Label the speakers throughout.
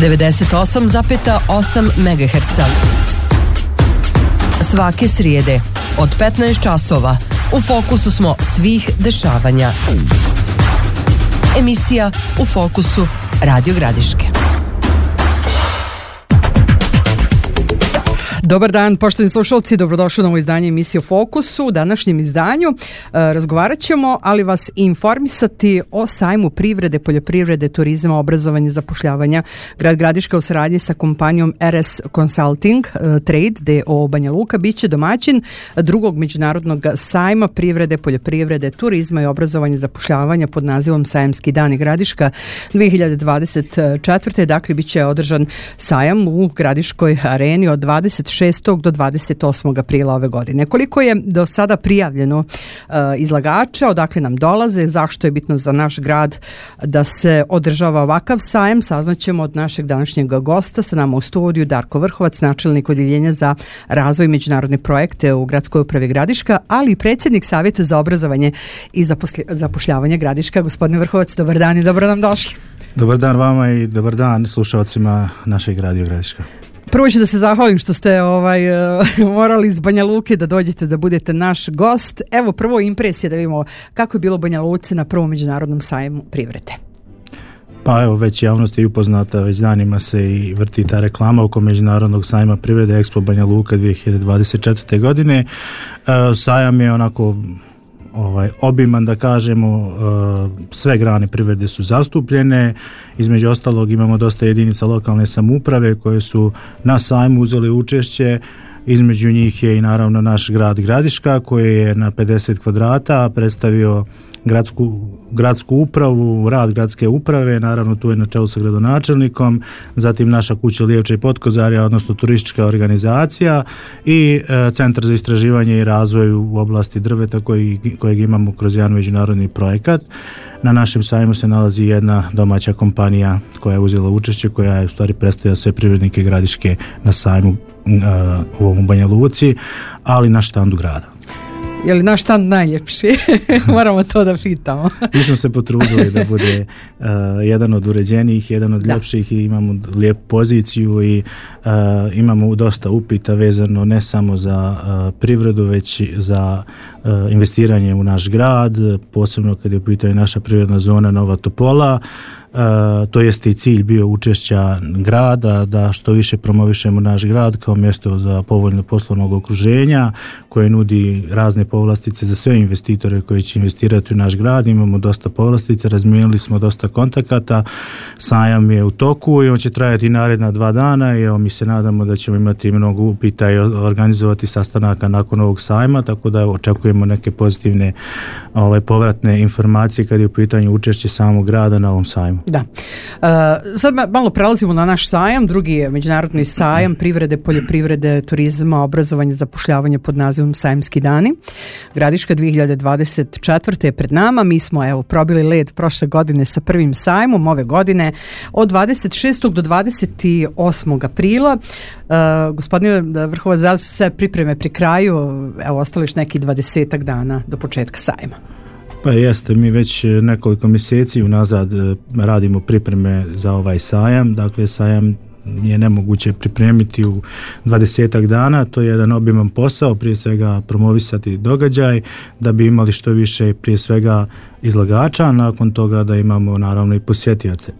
Speaker 1: 98,8 MHz. Svake srijede od 15 časova u fokusu smo svih dešavanja. Emisija U fokusu Radio Gradiške.
Speaker 2: Dobar dan, poštovani slušalci, dobrodošli na ovo izdanje emisije U fokusu. U današnjem izdanju razgovarat ćemo, ali vas informisati o sajmu privrede, poljoprivrede, turizma, obrazovanja, zapošljavanja. Grad Gradiška u saradnji sa kompanijom RS Consulting Trade d.o.o. Banja Luka biće domaćin drugog međunarodnog sajma privrede, poljoprivrede, turizma i obrazovanja, zapošljavanja pod nazivom Sajamski dani Gradiška 2024. Dakle, biće održan sajam u Gradiškoj areni od 26. do 28. aprila ove godine. Koliko je do sada prijavljeno izlagača, odakle nam dolaze, zašto je bitno za naš grad da se održava ovakav sajam, saznaćemo od našeg današnjeg gosta. Sa nama u studiju Darko Vrhovac, načelnik odjeljenja za razvoj i međunarodne projekte u Gradskoj upravi Gradiška, ali i predsjednik Savjeta za obrazovanje i zapošljavanje Gradiška. Gospodine Vrhovac, dobar dan i dobro nam došli.
Speaker 3: Dobar dan vama i dobar dan slušalcima našeg Radio Gradiška.
Speaker 2: Prvo ću da se zahvalim što ste morali iz Banja Luke da dođete da budete naš gost. Evo prvo impresije da vidimo kako je bilo u Banja Luci na prvom međunarodnom sajmu privrede.
Speaker 3: Pa evo, već javnost je upoznata, već danima se i vrti ta reklama oko međunarodnog sajma privrede Expo Banja Luka 2024. godine. Sajam je onako obiman, da kažemo, sve grane privrede su zastupljene, između ostalog imamo dosta jedinica lokalne samouprave koje su na sajmu uzeli učešće, između njih je i naravno naš grad Gradiška koji je na 50 kvadrata predstavio gradsku upravu, rad gradske uprave, naravno tu je na čelu sa gradonačelnikom, zatim naša kuća Lijevča i Potkozarja, odnosno turistička organizacija i Centar za istraživanje i razvoj u oblasti drveta kojeg imamo kroz jedan međunarodni projekat. Na našem sajmu se nalazi jedna domaća kompanija koja je uzela učešće, koja je u stvari predstavlja sve privrednike Gradiške na sajmu u Banja Luci, ali na štandu grada.
Speaker 2: Je li naš štand najljepši? Moramo to da pitamo.
Speaker 3: Mi smo se potrudili da bude jedan od uređenijih, jedan od ljepših i imamo lijepu poziciju i imamo dosta upita vezano ne samo za privredu, već za investiranje u naš grad, posebno kad je u pitanju naša privredna zona Nova Topola. To jeste i cilj bio učešća grada, da što više promovišemo naš grad kao mjesto za povoljno poslovnog okruženja koje nudi razne povlastice za sve investitore koji će investirati u naš grad. Imamo dosta povlastica, razmijenili smo dosta kontakata, sajam je u toku i on će trajati naredna 2 dana i evo mi se nadamo da ćemo imati mnogo upita i organizovati sastanaka nakon ovog sajma, tako da očekujemo neke pozitivne povratne informacije kad je u pitanju učešće samog grada na ovom sajmu.
Speaker 2: Da. Sad malo prelazimo na naš sajam, drugi je međunarodni sajam privrede, poljoprivrede, turizma, obrazovanja, zapošljavanja pod nazivom Sajamski dani. Gradiška 2024. je pred nama. Mi smo probili led prošle godine sa prvim sajmom, ove godine od 26. do 28. aprila. Gospodine Vrhovac, da su sve pripreme pri kraju, ostali još neki 20 dana do početka sajma.
Speaker 3: Pa jeste, mi već nekoliko mjeseci unazad radimo pripreme za ovaj sajam. Dakle, sajam je nemoguće pripremiti u 20 dana, to je jedan obiman posao, prije svega promovisati događaj da bi imali što više prije svega izlagača, a nakon toga da imamo naravno i posjetioce.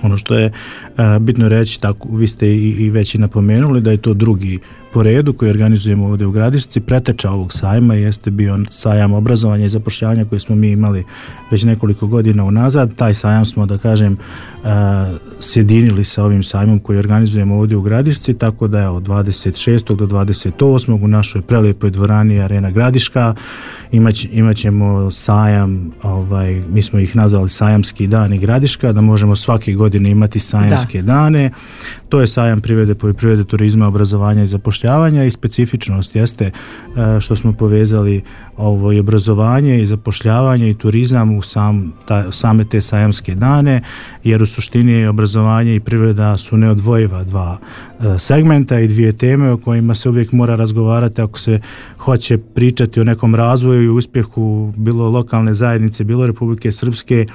Speaker 3: Ono što je bitno reći, tako vi ste i već i napomenuli da je to drugi po redu koji organizujemo ovdje u Gradišci. Preteča ovog sajma jeste bio sajam obrazovanja i zapošljavanja koji smo mi imali već nekoliko godina unazad. Taj sajam smo, da kažem, sjedinili sa ovim sajmom koji organizujemo ovdje u Gradišci, tako da od 26. do 28. u našoj prelijepoj dvorani Arena Gradiška imat ćemo sajam, mi smo ih nazvali Sajamski dani Gradiška, da možemo svake godine imati sajamske dane. To je sajam privrede, poljoprivrede, turizma, obrazovanja i zapošljavanja i specifičnost jeste što smo povezali i obrazovanje i zapošljavanje i turizam u same te sajamske dane, jer u suštini obrazovanje i privreda su neodvojiva dva segmenta i dvije teme o kojima se uvijek mora razgovarati ako se hoće pričati o nekom razvoju i uspjehu bilo lokalne zajednice, bilo Republike Srpske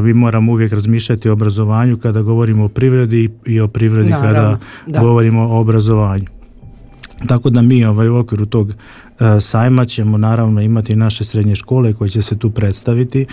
Speaker 3: mi moramo uvijek razmišljati o obrazovanju kada govorimo o privredi i o privredi kada govorimo o obrazovanju. Tako da mi u okviru tog sajma ćemo naravno imati naše srednje škole koje će se tu predstaviti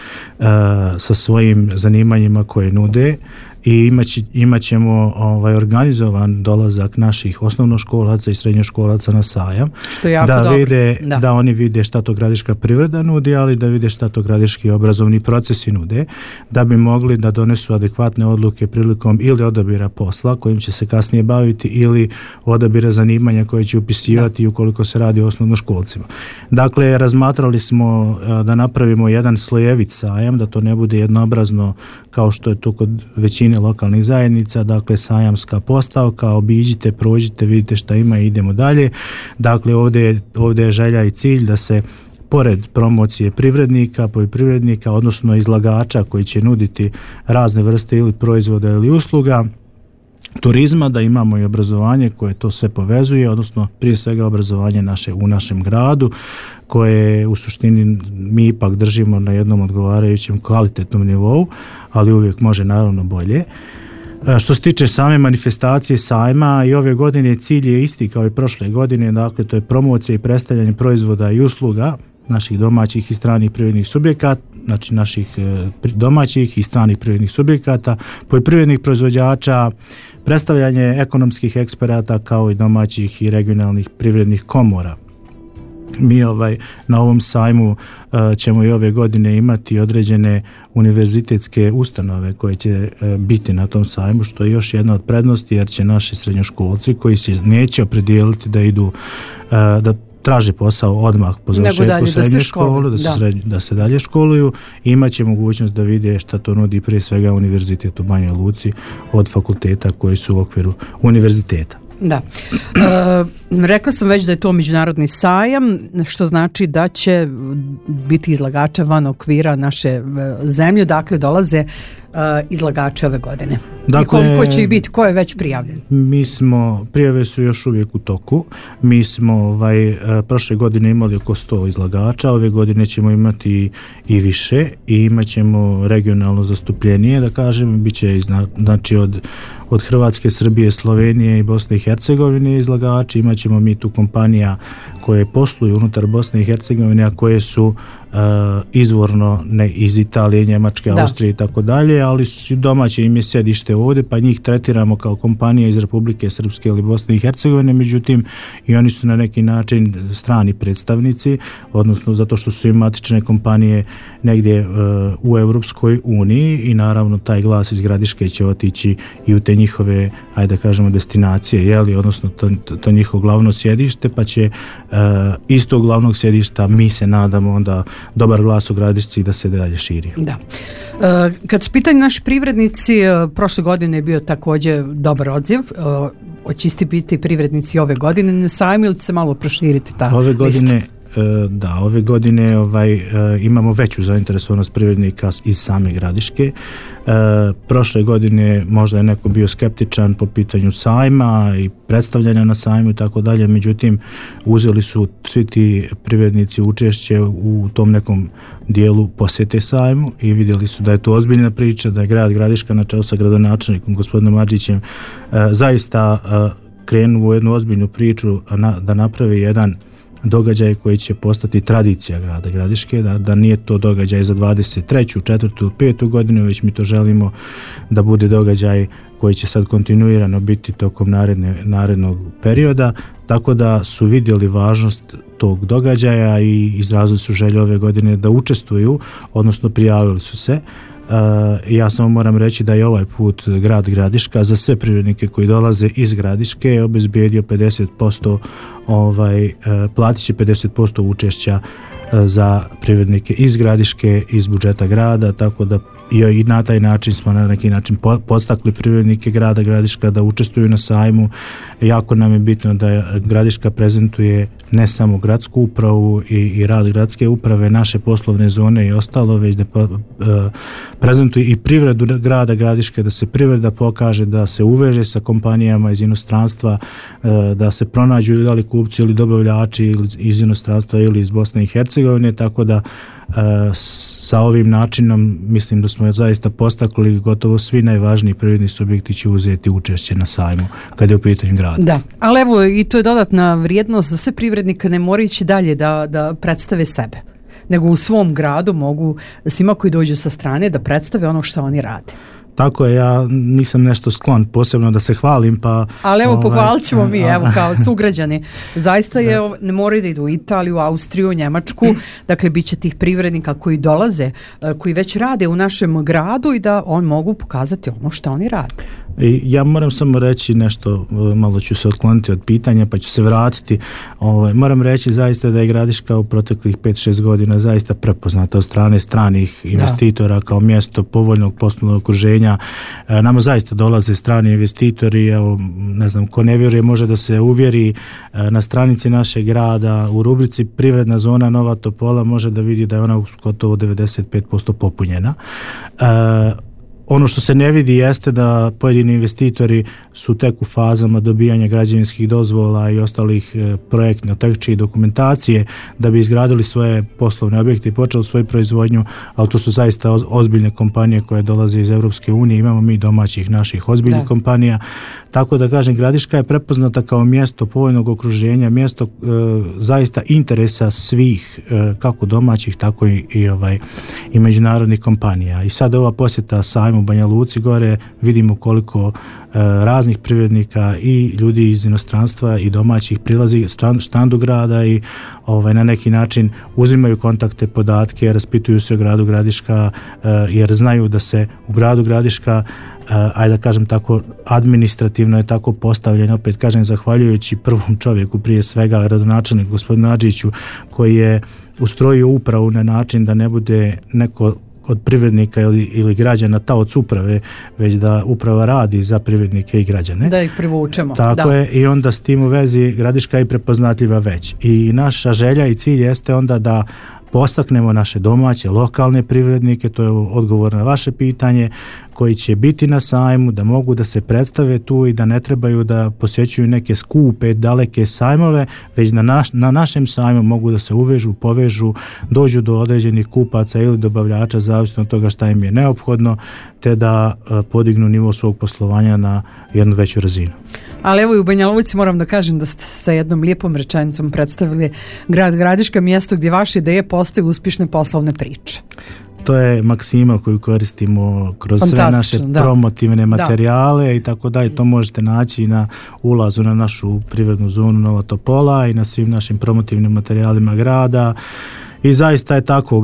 Speaker 3: sa svojim zanimanjima koje nude i imat ćemo organizovan dolazak naših osnovnoškolaca i srednjoškolaca na sajam,
Speaker 2: što je jako dobro.
Speaker 3: Da oni vide šta to gradiška privreda nudi, ali da vide šta to gradiški obrazovni procesi nude, da bi mogli da donesu adekvatne odluke prilikom ili odabira posla kojim će se kasnije baviti ili odabira zanimanja koje će upisivati ukoliko se radi o osnovnoškolcima. Dakle, razmatrali smo da napravimo jedan slojevit sajam, da to ne bude jednoobrazno kao što je to kod većine lokalnih zajednica, dakle sajamska postavka, obiđite, prođite, vidite šta ima i idemo dalje. Dakle, ovdje je želja i cilj da se pored promocije privrednika, poljoprivrednika, odnosno izlagača koji će nuditi razne vrste ili proizvoda ili usluga, turizma, da imamo i obrazovanje koje to sve povezuje, odnosno prije svega obrazovanje u našem gradu, koje u suštini mi ipak držimo na jednom odgovarajućem kvalitetnom nivou, ali uvijek može naravno bolje. Što se tiče same manifestacije sajma, i ove godine cilj je isti kao i prošle godine, dakle to je promocija i predstavljanje proizvoda i usluga naših domaćih i stranih privrednih subjekata, znači naših domaćih i stranih privrednih subjekata, poljoprivrednih proizvođača, predstavljanje ekonomskih eksperata kao i domaćih i regionalnih privrednih komora. Mi na ovom sajmu ćemo i ove godine imati određene univerzitetske ustanove koje će biti na tom sajmu, što je još jedna od prednosti, jer će naši srednjoškolci koji se neće opredijeliti da idu da traže posao odmah po završetku srednje škole, da se dalje školuju, imat će mogućnost da vide šta to nudi prije svega Univerzitet u Banjoj Luci od fakulteta koji su u okviru univerziteta.
Speaker 2: Da. Rekla sam već da je to međunarodni sajam, što znači da će biti izlagača van okvira naše zemlje, dakle dolaze izlagače ove godine. Dakle, i koliko će ih biti, ko je već prijavljen?
Speaker 3: Prijave su još uvijek u toku. Mi smo prošle godine imali oko 100 izlagača, ove godine ćemo imati i više i imat ćemo regionalno zastupljenije, da kažem, bit će znači od Hrvatske, Srbije, Slovenije i Bosne i Hercegovine izlagači, imat ćemo mi tu kompanija koje posluju unutar Bosne i Hercegovine, a koje su izvorno ne iz Italije, Njemačke, Austrije i tako dalje, ali domaće im je sjedište ovdje, pa njih tretiramo kao kompanije iz Republike Srpske ili Bosne i Hercegovine, međutim i oni su na neki način strani predstavnici, odnosno zato što su im matične kompanije negdje u Europskoj uniji i naravno taj glas iz Gradiške će otići i u te njihove, ajde da kažemo, destinacije, odnosno to njihovo glavno sjedište, pa će iz tog glavnog sjedišta mi se nadamo onda dobar glas u Gradišci da se dalje širi.
Speaker 2: Da. Kad su pitanje naši privrednici, prošle godine je bio također dobar odziv. Hoće isti biti privrednici ove godine na sajmu ili će se malo proširiti ta lista?
Speaker 3: Ove godine imamo veću zainteresovanost privrednika iz same Gradiške. Prošle godine možda je neko bio skeptičan po pitanju sajma i predstavljanja na sajmu i tako dalje, međutim uzeli su svi ti privrednici učešće u tom nekom dijelu posjete sajmu i vidjeli su da je to ozbiljna priča, da je grad Gradiška na čelu sa gradonačelnikom gospodinom Adžićem zaista krenuo u jednu ozbiljnu priču da napravi jedan događaj koji će postati tradicija grada Gradiške, da nije to događaj za 23., 4. ili 5. godinu, već mi to želimo da bude događaj koji će sad kontinuirano biti tokom narednog perioda, tako da su vidjeli važnost tog događaja i izrazili su želju ove godine da učestvuju, odnosno prijavili su se. Ja samo moram reći da je ovaj put grad Gradiška za sve privrednike koji dolaze iz Gradiške obezbijedio 50%, platit će 50% učešća za privrednike iz Gradiške, iz budžeta grada, tako da i na taj način smo na neki način podstakli privrednike grada Gradiška da učestvuju na sajmu. Jako nam je bitno da Gradiška prezentuje ne samo gradsku upravu i rad gradske uprave, naše poslovne zone i ostalo, već da prezentuje i privredu grada Gradiške, da se privreda pokaže, da se uveže sa kompanijama iz inostranstva, da se pronađu ili kupci ili dobavljači iz inostranstva ili iz Bosne i Hercegovine, tako da sa ovim načinom mislim da smo zaista postakli, gotovo svi najvažniji privredni subjekti će uzeti učešće na sajmu kada je u pitanju grada.
Speaker 2: Da, ali evo i to je dodatna vrijednost za sve privrednike, ne moraju ići dalje da predstave sebe, nego u svom gradu mogu svima koji dođu sa strane da predstave ono što oni rade.
Speaker 3: Tako je, ja nisam nešto sklon posebno da se hvalim, pa...
Speaker 2: Ali evo, pohvalit ćemo mi, evo, kao sugrađani. Zaista je, ne moraju da idu u Italiju, Austriju, Njemačku, dakle, bit će tih privrednika koji dolaze, koji već rade u našem gradu i da on mogu pokazati ono što oni rade.
Speaker 3: I ja moram samo reći nešto, malo ću se otkloniti od pitanja pa ću se vratiti. Moram reći zaista da je Gradiška u proteklih 5-6 godina zaista prepoznata od strane stranih investitora kao mjesto povoljnog poslovnog okruženja. Nama zaista dolaze strani investitori, evo, ne znam, ko ne vjeruje može da se uvjeri na stranici našeg grada u rubrici Privredna zona Nova Topola može da vidi da je ona gotovo 95% popunjena. Ono što se ne vidi jeste da pojedini investitori su tek u fazama dobijanja građevinskih dozvola i ostalih projektno-tehničke dokumentacije da bi izgradili svoje poslovne objekte i počeli svoju proizvodnju, ali to su zaista ozbiljne kompanije koje dolaze iz Europske unije, imamo mi domaćih naših ozbiljnih kompanija, tako da kažem Gradiška je prepoznata kao mjesto povoljnog okruženja, mjesto zaista interesa svih, kako domaćih, tako i međunarodnih kompanija. I sad ova posjeta sajmu u Banja Luci gore vidimo koliko raznih privrednika i ljudi iz inostranstva i domaćih prilazi štandu grada i na neki način uzimaju kontakte, podatke, raspituju se o gradu Gradiška jer znaju da se u gradu Gradiška ajde da kažem tako, administrativno je tako postavljeno, opet kažem zahvaljujući prvom čovjeku prije svega, gradonačelniku gospodinu Adžiću, koji je ustrojio upravu na način da ne bude neko od privrednika ili građana taoc uprave, već da uprava radi za privrednike i građane.
Speaker 2: Da ih privučemo.
Speaker 3: Tako je, i onda s tim u vezi Gradiška je prepoznatljiva već. I naša želja i cilj jeste onda da postaknemo naše domaće, lokalne privrednike, to je odgovor na vaše pitanje, koji će biti na sajmu, da mogu da se predstave tu i da ne trebaju da posjećuju neke skupe, daleke sajmove, već na našem sajmu mogu da se uvežu, povežu, dođu do određenih kupaca ili dobavljača, zavisno od toga šta im je neophodno, te da podignu nivo svog poslovanja na jednu veću razinu.
Speaker 2: Ali evo i u Banja Luci moram da kažem da ste sa jednom lijepom rečenicom predstavili grad Gradiška, mjesto gdje vaše ideje postaju uspješne poslovne priče.
Speaker 3: To je maksima koju koristimo kroz sve naše promotivne materijale i tako dalje. To možete naći na ulazu na našu privrednu zonu Nova Topola i na svim našim promotivnim materijalima grada. I zaista je tako,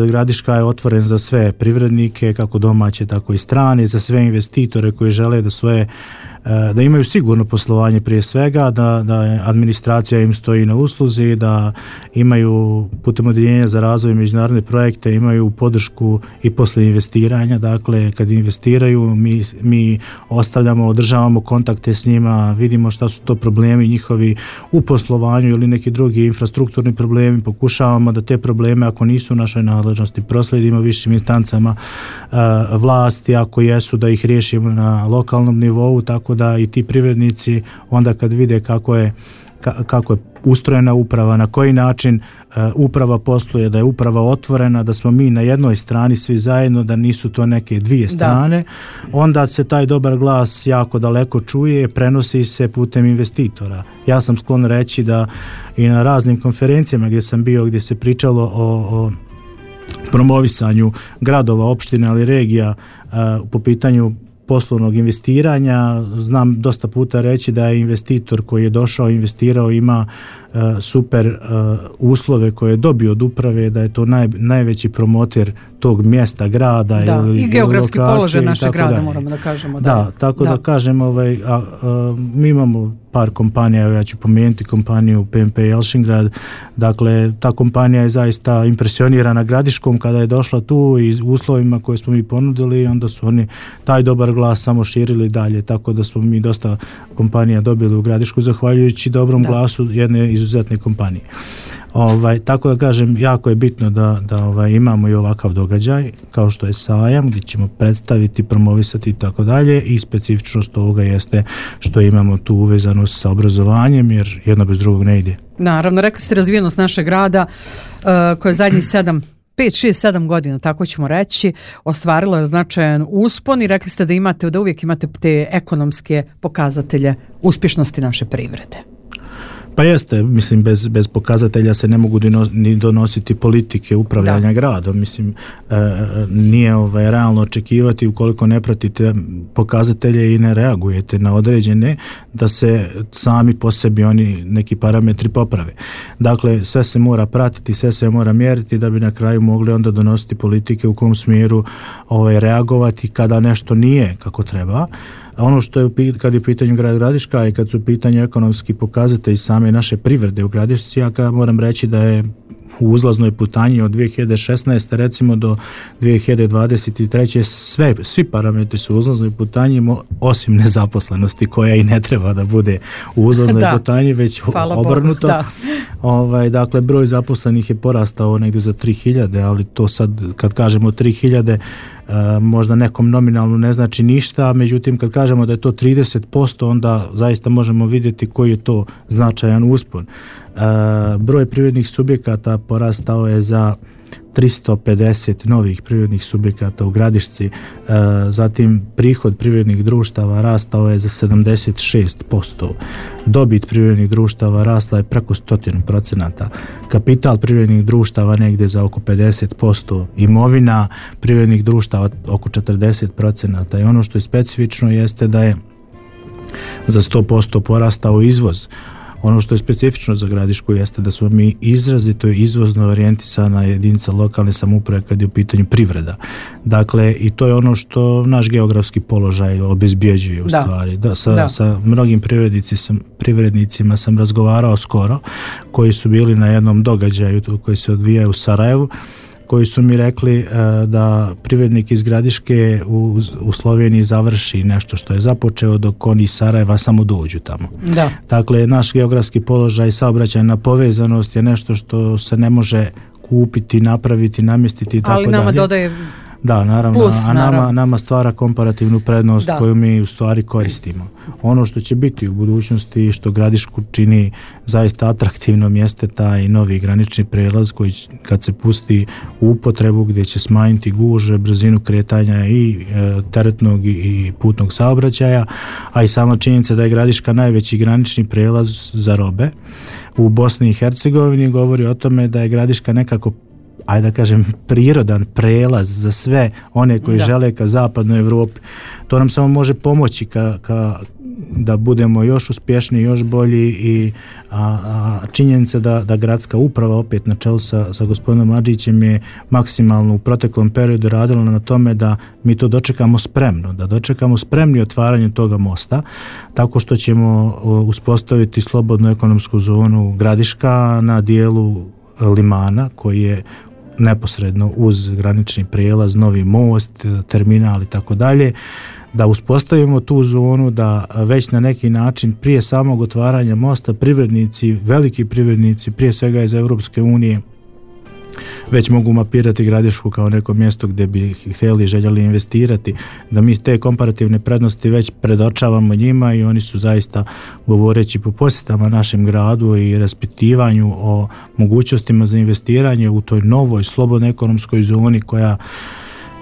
Speaker 3: Gradiška je otvoren za sve privrednike, kako domaće, tako i strane, za sve investitore koji žele da imaju sigurno poslovanje prije svega, da administracija im stoji na usluzi, da imaju putem odjeljenja za razvoj međunarodne projekte, imaju podršku i posle investiranja, dakle kad investiraju mi ostavljamo, održavamo kontakte s njima, vidimo šta su to problemi njihovi u poslovanju ili neki drugi infrastrukturni problemi, pokušavamo da te probleme ako nisu u našoj nadležnosti proslijedimo višim instancama vlasti, ako jesu da ih riješimo na lokalnom nivou, tako da i ti privrednici onda kad vide kako je ustrojena uprava, na koji način uprava posluje, da je uprava otvorena, da smo mi na jednoj strani svi zajedno, da nisu to neke dvije strane, onda se taj dobar glas jako daleko čuje, prenosi se putem investitora. Ja sam sklon reći da i na raznim konferencijama gdje sam bio, gdje se pričalo o promovisanju gradova, opština ali regija po pitanju poslovnog investiranja, znam dosta puta reći da je investitor koji je došao, investirao, ima super uslove koje je dobio od uprave, da je to najveći promoter tog mjesta, grada
Speaker 2: i geografski položaj našeg grada, moramo da kažemo.
Speaker 3: Da, tako da kažem, mi imamo par kompanija, ja ću pomenuti kompaniju PMP Jelšingrad, dakle ta kompanija je zaista impresionirana Gradiškom kada je došla tu i uslovima koje smo mi ponudili, onda su oni taj dobar glas samo širili dalje, tako da smo mi dosta kompanija dobili u Gradišku zahvaljujući dobrom glasu jedne izuzetne kompanije. Tako da kažem, jako je bitno da imamo i ovakav događaj kao što je sajam gdje ćemo predstaviti, promovisati i tako dalje, i specifičnost ovoga jeste što imamo tu uvezanost sa obrazovanjem jer jedno bez drugog ne ide.
Speaker 2: Naravno, rekli ste razvijenost našeg grada koja je zadnjih 7 5, 6, 7 godina, tako ćemo reći, ostvarilo je značajan uspon i rekli ste da uvijek imate te ekonomske pokazatelje uspješnosti naše privrede.
Speaker 3: Pa jeste, mislim, bez pokazatelja se ne mogu ni donositi politike upravljanja gradom. Mislim, nije realno očekivati ukoliko ne pratite pokazatelje i ne reagujete na određene, da se sami po sebi oni neki parametri poprave. Dakle, sve se mora pratiti, sve se mora mjeriti da bi na kraju mogli onda donositi politike u kom smjeru reagovati kada nešto nije kako treba. A ono što je kad je u pitanju grad Gradiška i kad su u pitanju ekonomski pokazatelji same naše privrede u Gradišci, ja moram reći da je u uzlaznoj putanji od 2016. recimo do 2023. Svi parametri su u uzlaznoj putanji osim nezaposlenosti koja i ne treba da bude u uzlaznoj putanji, već obrnuto. Dakle, broj zaposlenih je porastao negdje za 3000, ali to sad kad kažemo 3000 možda nekom nominalno ne znači ništa, međutim kad kažemo da je to 30%, onda zaista možemo vidjeti koji je to značajan uspon. Broj privrednih subjekata porastao je za 350 novih privrednih subjekata u Gradišci, zatim prihod privrednih društava rastao je za 76%, dobit privrednih društava rasla je preko 100%, kapital privrednih društava negdje za oko 50%, imovina privrednih društava oko 40%, i ono što je specifično jeste da je za 100% porastao izvoz. Ono što je specifično za Gradišku jeste da smo mi izrazito izvozno orijentisana jedinica lokalne samouprave kad je u pitanju privreda. Dakle, i to je ono što naš geografski položaj obezbjeđuje u stvari. Sa mnogim privrednicima sam razgovarao skoro, koji su bili na jednom događaju koji se odvija u Sarajevu, koji su mi rekli da privrednik iz Gradiške u Sloveniji završi nešto što je započeo dok oni iz Sarajeva samo dođu tamo. Dakle, naš geografski položaj, saobraćajna povezanost je nešto što se ne može kupiti, napraviti, namjestiti i tako dalje. Ali nama
Speaker 2: dodaje
Speaker 3: naravno,
Speaker 2: plus,
Speaker 3: nama stvara komparativnu prednost koju mi u stvari koristimo. Ono što će biti u budućnosti, što Gradišku čini zaista atraktivnom, jeste taj novi granični prijelaz koji kad se pusti u upotrebu, gdje će smanjiti gužve, brzinu kretanja i teretnog i putnog saobraćaja, a i sama činjenica da je Gradiška najveći granični prijelaz za robe u Bosni i Hercegovini govori o tome da je Gradiška nekako, ajde da kažem, prirodan prelaz za sve one koji žele ka zapadnoj Europi. To nam samo može pomoći da budemo još uspješniji, još bolji i činjenica da gradska uprava opet na čelu sa gospodinom Adžićem je maksimalno u proteklom periodu radila na tome da mi to dočekamo spremno, da dočekamo spremni otvaranje toga mosta, tako što ćemo uspostaviti slobodnu ekonomsku zonu Gradiška na dijelu Limana koji je neposredno uz granični prijelaz, novi most, terminal i tako dalje, da uspostavimo tu zonu, da već na neki način prije samog otvaranja mosta privrednici, veliki privrednici, prije svega iz Europske unije, već mogu mapirati Gradišku kao neko mjesto gdje bi htjeli, željeli investirati, da mi te komparativne prednosti već predočavamo njima i oni su zaista, govoreći po posjetama našem gradu i raspitivanju o mogućnostima za investiranje u toj novoj slobodnoj ekonomskoj zoni koja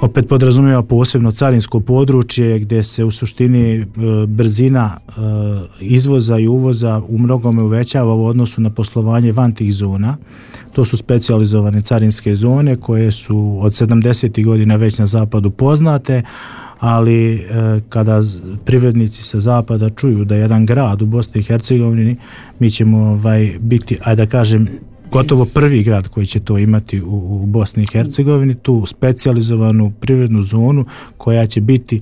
Speaker 3: opet podrazumijeva posebno carinsko područje gdje se u suštini brzina izvoza i uvoza u mnogome uvećava u odnosu na poslovanje van tih zona. To su specijalizovane carinske zone koje su od 70. godina već na zapadu poznate, ali kada privrednici sa zapada čuju da jedan grad u Bosni i Hercegovini, mi ćemo biti, ajde da kažem, gotovo prvi grad koji će to imati u Bosni i Hercegovini, tu specijalizovanu privrednu zonu koja će biti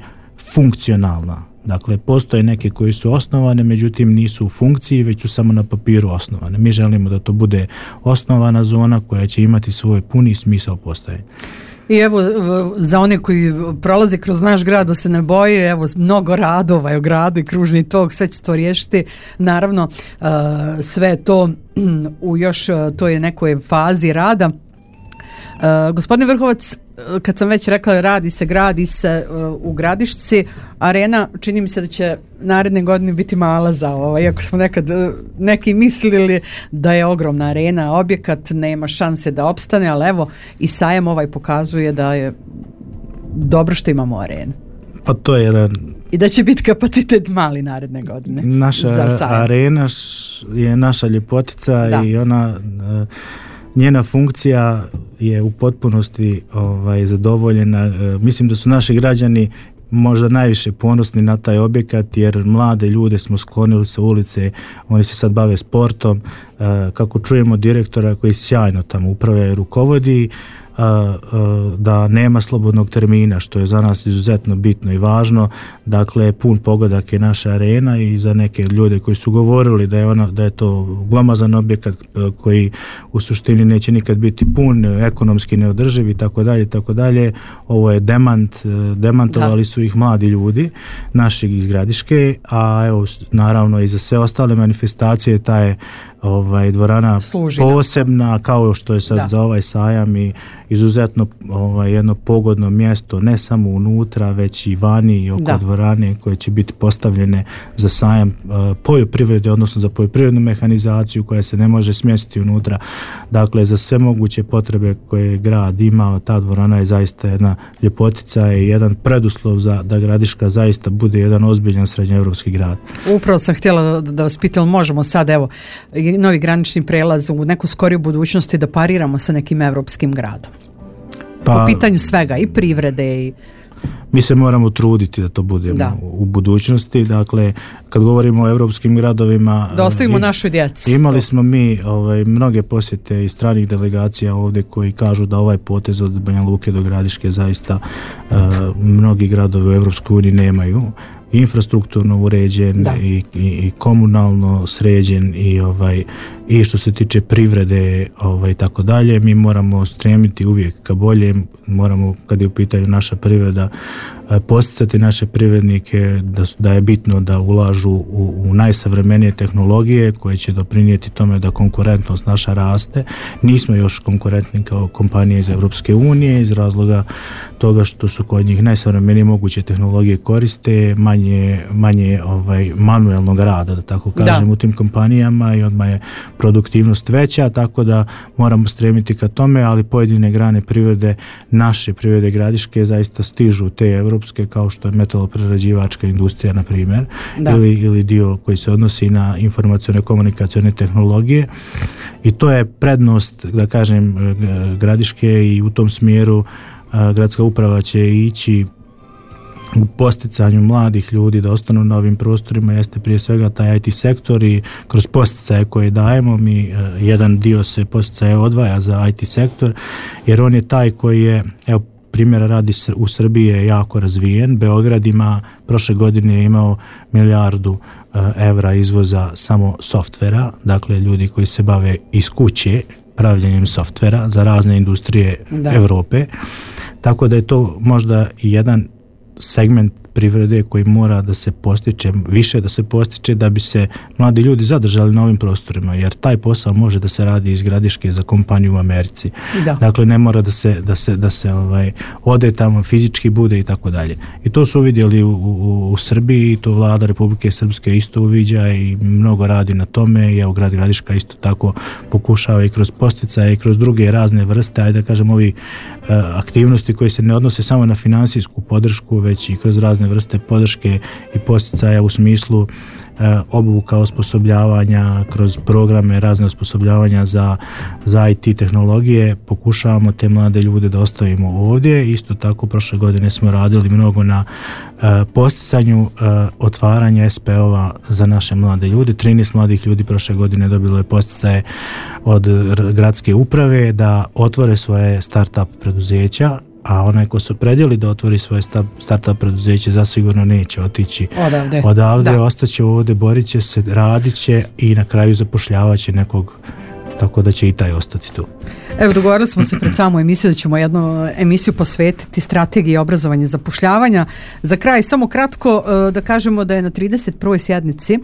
Speaker 3: funkcionalna. Dakle, postoje neke koji su osnovane, međutim nisu u funkciji, već su samo na papiru osnovane. Mi želimo da to bude osnovana zona koja će imati svoj puni smisao postojanja.
Speaker 2: I evo, za one koji prolaze kroz naš grad da se ne boje, evo, mnogo radova je u gradu i kružni tok, sve će to riješiti. Naravno, sve to u još toj nekoj fazi rada. Gospodine Vrhovac, kad sam već rekla gradi se u Gradišci, arena čini mi se da će naredne godine biti mala za ovo, iako smo nekad neki mislili da je ogromna arena, objekat nema šanse da opstane, ali evo i sajam pokazuje da je dobro što imamo arenu.
Speaker 3: Pa to je jedan...
Speaker 2: I da će biti kapacitet mali naredne godine.
Speaker 3: Naša arena je naša ljepotica i ona... Njena funkcija je u potpunosti zadovoljena. Mislim da su naši građani možda najviše ponosni na taj objekat, jer mlade ljude smo sklonili sa ulice, oni se sad bave sportom. Kako čujemo direktora koji sjajno tamo upravlja i rukovodi, da nema slobodnog termina, što je za nas izuzetno bitno i važno. Dakle, pun pogodak je naša arena i za neke ljude koji su govorili da je to glomazan objekat koji u suštini neće nikad biti pun, ekonomski neodrživ i tako dalje. Ovo je demantovali su ih mladi ljudi naših iz Gradiške, a evo naravno i za sve ostale manifestacije ta je dvorana posebna, kao što je sad za ovaj sajam, i izuzetno jedno pogodno mjesto, ne samo unutra, već i vani i oko dvorane koje će biti postavljene za sajam poljoprivrede, odnosno za poljoprivrednu mehanizaciju koja se ne može smjestiti unutra. Dakle, za sve moguće potrebe koje grad ima, ta dvorana je zaista jedna ljepotica i jedan preduslov da Gradiška zaista bude jedan ozbiljan srednjoevropski grad.
Speaker 2: Upravo sam htjela da vas pitam, možemo sad novi granični prelaz u neku skoriju budućnosti da pariramo sa nekim evropskim gradom? Po pitanju svega, i privrede i...
Speaker 3: Mi se moramo truditi da to budemo u budućnosti. Dakle, kad govorimo o evropskim gradovima...
Speaker 2: Da ostavimo našoj djeci.
Speaker 3: Imali smo mi mnoge posjete i stranih delegacija ovdje koji kažu da ovaj potez od Banja Luke do Gradiške zaista mnogi gradovi u Evropskoj uniji nemaju. Infrastrukturno uređen i komunalno sređen i što se tiče privrede i tako dalje. Mi moramo stremiti uvijek ka bolje, moramo, kad je u pitanju naša privreda, posticati naše privrednike da je bitno da ulažu u najsavremenije tehnologije koje će doprinijeti tome da konkurentnost naša raste. Nismo još konkurentni kao kompanije iz Europske unije iz razloga toga što su kod njih najsavremenije moguće tehnologije koriste, manje manuelnog rada, da tako kažem, u tim kompanijama, i odmah je produktivnost veća, tako da moramo stremiti ka tome, ali pojedine grane privrede, naše privrede Gradiške, zaista stižu te evropske, kao što je metaloprerađivačka industrija, na primjer, ili dio koji se odnosi na informacione komunikacione tehnologije, i to je prednost, da kažem, Gradiške, i u tom smjeru gradska uprava će ići u posticanju mladih ljudi da ostanu na ovim prostorima. Jeste prije svega taj IT sektor, i kroz posticaje koje dajemo mi jedan dio se posticaje odvaja za IT sektor, jer on je taj koji je, evo primjera radi, u Srbiji je jako razvijen. Beograd ima, prošle godine je imao 1 milijardu evra izvoza samo softvera, dakle ljudi koji se bave iz kuće pravljenjem softvera za razne industrije Europe, tako da je to možda i jedan segment privrede koji mora da se postiče, više da se postiče da bi se mladi ljudi zadržali na ovim prostorima, jer taj posao može da se radi iz Gradiške za kompaniju u Americi. Dakle, ne mora da se ode tamo, fizički bude i tako dalje. I to su uvidjeli u Srbiji, i to vlada Republike Srpske isto uviđa i mnogo radi na tome, i evo grad Gradiška isto tako pokušava i kroz posticaje i kroz druge razne vrste, ajde da kažem, ovi aktivnosti koje se ne odnose samo na finansijsku podršku, već i kroz razne vrste podrške i posticaja u smislu obuka, osposobljavanja, kroz programe razne osposobljavanja za IT tehnologije. Pokušavamo te mlade ljude da ostavimo ovdje. Isto tako prošle godine smo radili mnogo na posticanju otvaranja SPO-ova za naše mlade ljude. 13 mladih ljudi prošle godine dobilo je posticaje od gradske uprave da otvore svoje start-up preduzeća, a onaj ko se opredijeli da otvori svoje start-up preduzeće zasigurno neće otići odavde, ostaće ovdje, borit će se, radit će i na kraju zapošljavaće nekog tako da će i taj ostati tu.
Speaker 2: Evo, dogovorili smo se pred samu emisiju da ćemo jednu emisiju posvetiti strategiji obrazovanja i zapošljavanja. Za kraj, samo kratko da kažemo da je na 31. sjednici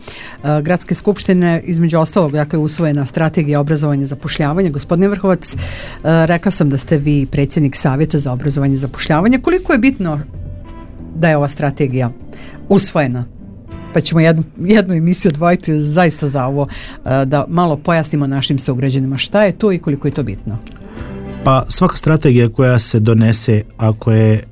Speaker 2: Gradske skupštine između ostalog, dakle, usvojena strategija obrazovanja i zapošljavanja. Gospodine Vrhovac, rekla sam da ste vi predsjednik Savjeta za obrazovanje i zapošljavanje. Koliko je bitno da je ova strategija usvojena? Pa ćemo jednu emisiju odvojiti zaista za ovo, da malo pojasnimo našim sugrađanima šta je to i koliko je to bitno.
Speaker 3: Pa svaka strategija koja se donese, ako je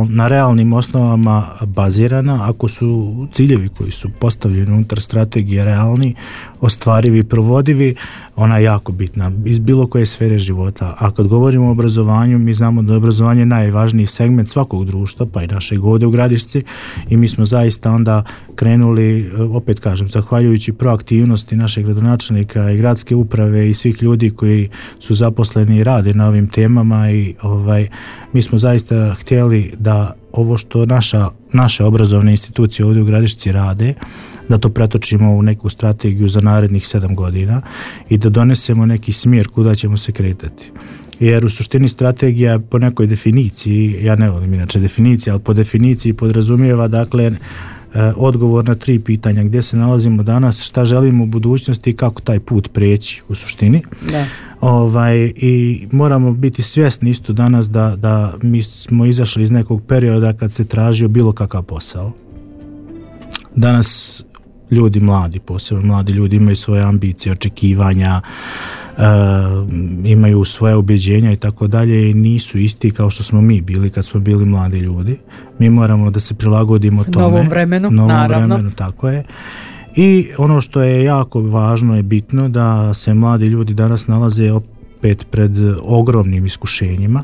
Speaker 3: na realnim osnovama bazirana, ako su ciljevi koji su postavljeni unutar strategije realni, ostvarivi, provodivi, ona je jako bitna iz bilo koje sfere života. A kad govorimo o obrazovanju, mi znamo da je obrazovanje najvažniji segment svakog društva, pa i našeg ovdje u Gradišci, i mi smo zaista onda krenuli, opet kažem, zahvaljujući proaktivnosti našeg gradonačelnika i gradske uprave i svih ljudi koji su zaposleni i rade na ovim temama, i mi smo zaista htjeli da ovo što naše obrazovne institucije ovdje u Gradišci rade, da to pretočimo u neku strategiju za narednih 7 godina i da donesemo neki smjer kuda ćemo se kretati. Jer u suštini strategija po nekoj definiciji, ja ne volim inače definicije, ali po definiciji podrazumijeva, dakle, odgovor na 3 pitanja: gdje se nalazimo danas, šta želimo u budućnosti i kako taj put preći u suštini. Da. I moramo biti svjesni isto danas da mi smo izašli iz nekog perioda kad se tražio bilo kakav posao. Danas ljudi mladi, posebno mladi ljudi, imaju svoje ambicije, očekivanja, imaju svoje ubjeđenja i tako dalje, i nisu isti kao što smo mi bili kad smo bili mladi ljudi. Mi moramo da se prilagodimo tome. Novom vremenu, tako je. I ono što je jako važno i bitno, da se mladi ljudi danas nalaze opet pred ogromnim iskušenjima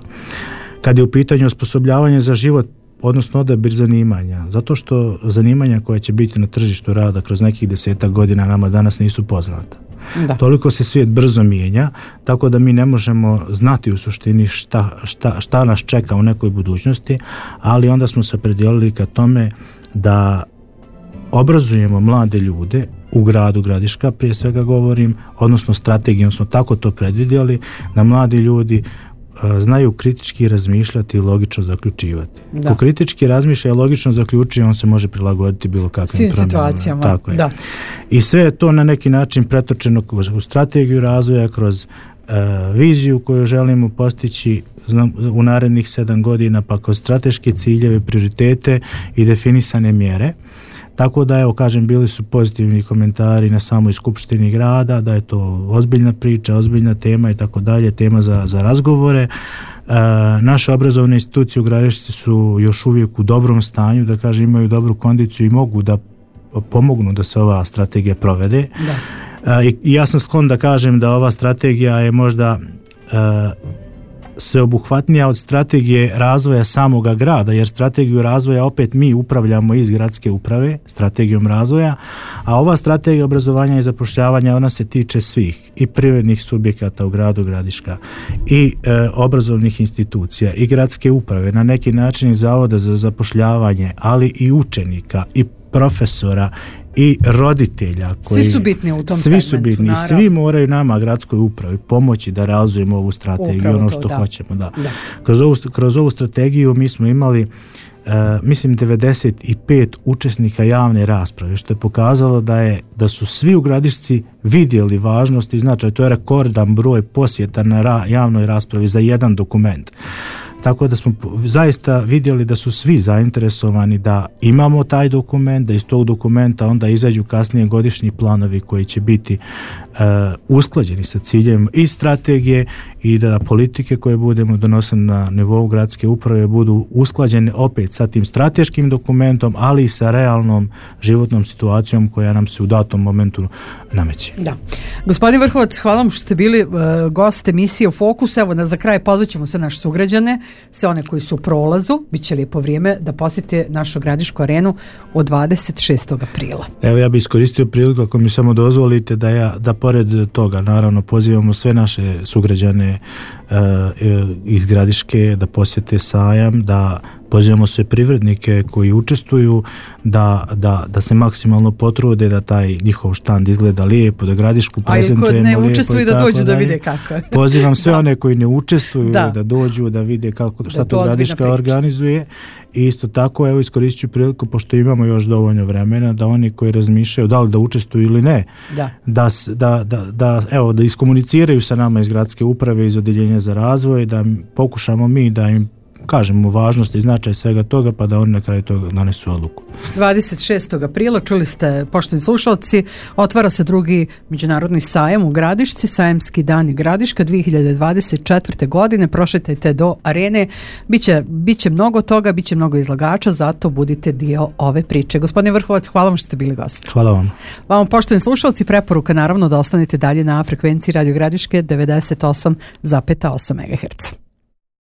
Speaker 3: kad je u pitanju osposobljavanje za život, odnosno odabir zanimanja, zato što zanimanja koja će biti na tržištu rada kroz nekih 10 godina nama danas nisu poznata. Da. Toliko se svijet brzo mijenja, tako da mi ne možemo znati u suštini šta nas čeka u nekoj budućnosti, ali onda smo se opredijelili ka tome da obrazujemo mlade ljude u gradu Gradiška, prije svega govorim, odnosno strategijom smo tako to predvidjeli, da mladi ljudi znaju kritički razmišljati i logično zaključivati. Da. Ko kritički razmišlja i logično zaključuje, on se može prilagoditi bilo kakvim situacijama. Tako je. Da. I sve je to na neki način pretočeno u strategiju razvoja, kroz viziju koju želimo postići u narednih 7 godina, pa kroz strateške ciljeve, prioritete i definisane mjere. Tako da, evo, kažem, bili su pozitivni komentari na samoj skupštini grada, da je to ozbiljna priča, ozbiljna tema i tako dalje, tema za razgovore. Naše obrazovne institucije u Gradišci su još uvijek u dobrom stanju, da kažem, imaju dobru kondiciju i mogu da pomognu da se ova strategija provede. Da. I ja sam sklon da kažem da ova strategija je možda sveobuhvatnija od strategije razvoja samoga grada, jer strategiju razvoja opet mi upravljamo iz gradske uprave, strategijom razvoja, a ova strategija obrazovanja i zapošljavanja, ona se tiče svih, i privrednih subjekata u gradu Gradiška, i obrazovnih institucija, i gradske uprave, na neki način i zavoda za zapošljavanje, ali i učenika, i profesora, i roditelja koji
Speaker 2: svi su bitni u tom
Speaker 3: segmentu. Svi su bitni, svi moraju nama, gradskoj upravi, pomoći da realizujemo ovu strategiju. Upravo ono što to, hoćemo. Da. Kroz ovu strategiju mi smo imali mislim 95 učesnika javne rasprave, što je pokazalo da su svi u Gradišci vidjeli važnost i značaj. To je rekordan broj posjeta na javnoj raspravi za jedan dokument. Tako da smo zaista vidjeli da su svi zainteresovani da imamo taj dokument, da iz tog dokumenta onda izađu kasnije godišnji planovi koji će biti usklađeni sa ciljem i strategije, i da politike koje budemo donosili na nivou gradske uprave budu usklađene opet sa tim strateškim dokumentom, ali i sa realnom životnom situacijom koja nam se u datom momentu nameće.
Speaker 2: Da. Gospodin Vrhovac, hvala vam što ste bili gost emisije u Fokusu. Evo, za kraj pozvaćemo se naše sugrađane, sve one koji su u prolazu, bit će lijepo vrijeme da posjete našu gradišku arenu od 26. aprila.
Speaker 3: Evo, ja bih iskoristio priliku, ako mi samo dozvolite, da pored toga, naravno, pozivamo sve naše sugrađane iz Gradiške da posjete sajam, da pozivamo sve privrednike koji učestvuju da se maksimalno potrude da taj njihov štand izgleda lijepo, da Gradišku prezentujemo lijepo.
Speaker 2: A i kod ne učestvuju da dođu da vide kako je.
Speaker 3: Pozivam sve one koji ne učestvuju da dođu da vide šta to Gradiška organizuje. I isto tako, evo, iskoristit ću priliku, pošto imamo još dovoljno vremena, da oni koji razmišljaju da li da učestvuju ili ne, da iskomuniciraju sa nama iz gradske uprave, iz Odeljenja za razvoj, da pokušamo mi da im kažemo važnost i značaj svega toga, pa da oni na kraju toga donesu odluku.
Speaker 2: 26. aprila, čuli ste, poštovani slušalci, otvara se drugi međunarodni sajam u Gradišci, sajamski dani Gradiška 2024. godine. Prošetajte do arene, biće mnogo toga, biće mnogo izlagača, zato budite dio ove priče. Gospodine Vrhovac, hvala vam što ste bili gost.
Speaker 3: Hvala vam.
Speaker 2: Vama, poštovani slušalci, preporuka naravno da ostanete dalje na frekvenciji Radio Gradiške 98,8 MHz.